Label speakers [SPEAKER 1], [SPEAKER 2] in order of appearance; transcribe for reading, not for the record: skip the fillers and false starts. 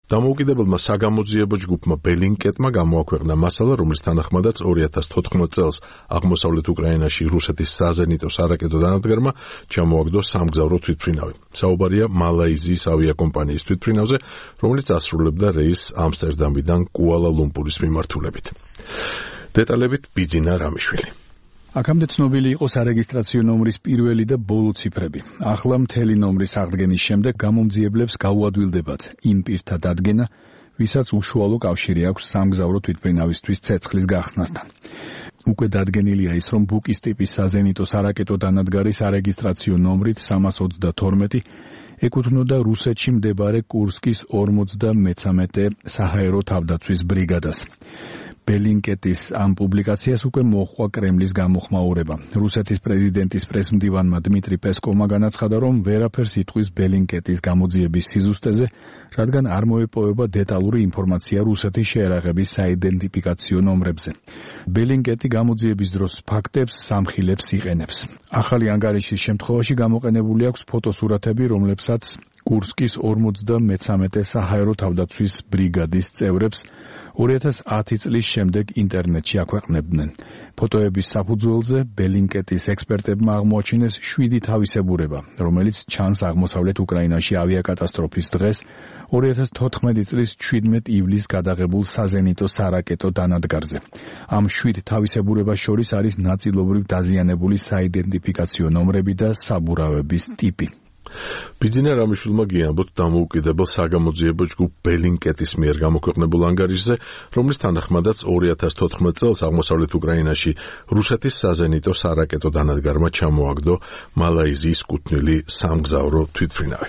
[SPEAKER 1] დამოუკიდებელმა საგამოძიებო ჯგუფმა ბელინკეტმა გამოაქვეყნა მასალა, რომლის თანახმადაც 2014 წელს აღმოსავლეთ უკრაინაში რუსეთის საზენიტო სარაკეტო დანადგარმა ჩამოაგდო სამგზავრო თვითმფრინავი. საუბარია მალაიზიის ავიაკომპანიის თვითმფრინავზე, რომელიც ასრულებდა რეისს ამსტერდამიდან კუალა-ლუმპურის მიმართულებით. დეტალებით ბიძინა რამიშვილი.
[SPEAKER 2] აქამდე ცნობილი იყო სარეგისტრაციო ნომრის პირველი და ბოლო ციფრები. ახლა მთელი ნომრის აღდგენის შემდეგ გამომძიებლებს გაუადვილდებათ იმ პირთა დადგენა, ვისაც უშუალო კავშირი აქვს სამგზავრო თვითმფრინავისთვის ცეცხლის გახსნასთან. უკვე დადგენილია ის, რომ ბუკის ტიპის საზენიტო სარაკეტო დანადგარი სარეგისტრაციო ნომრით 322 ეკუთვნოდა რუსეთში მდებარე კურსკის 53 საჰაერო თავდაცვის ბრიგადას. ბელინკეტის ამ პუბლიკაციას უკვე მოჰყვა კრემლის გამოხმაურება. რუსეთის პრეზიდენტის პრესმდივანმა დმიტრი პესკოვმა განაცხადა, რომ ვერაფერს იტყვის ბელინკეტის გამოძიების სიზუსტეზე, რადგან არ მოეპოვება დეტალური ინფორმაცია რუსეთის შეერაღების საიდენტიფიკაციო ნომრებზე. ბელინკეტი გამოძიების დროს ფაქტებს სამხილებს იყენებს. ახალი ანგარიშის შემთხვევაში გამოყენებული აქვს ფოტოსურათები, რომლებსაც კურსკის 53 საჰაერო თავდაცვის ბრიგადის წევრებს 2010 წლის შემდეგ ინტერნეტში აქვეყნებდნენ. ფოტოების საფუძველზე ბელინკეტის ექსპერტებმა აღმოაჩინეს 7 თავისებურება, რომელიც ჩანს აღმოსავლეთ უკრაინაში ავიაკატასტროფის დღეს 2014 წლის 17 ივლისს გადაღებულ საზენიტო სარაკეტო დანადგარზე. ამ 7 თავისებურებას შორის არის ნაწილობრივ დაზიანებული საიდენტიფიკაციო ნომრები და საბურავების ტიპი.
[SPEAKER 1] ბიძინა რამიშვილმა გიამბოთ დამოუკიდებელ საგამოძიებო ჯგუფ ბელინკეტის მიერ გამოქვეყნებულ ანგარიშზე, რომლის თანახმადაც 2014 წელს აღმოსავლეთ უკრაინაში რუსეთის საზენიტო სარაკეტო დანადგარმა ჩამოაგდო მალაიზიის კუთვნილი სამგზავრო თვითმფრინავი.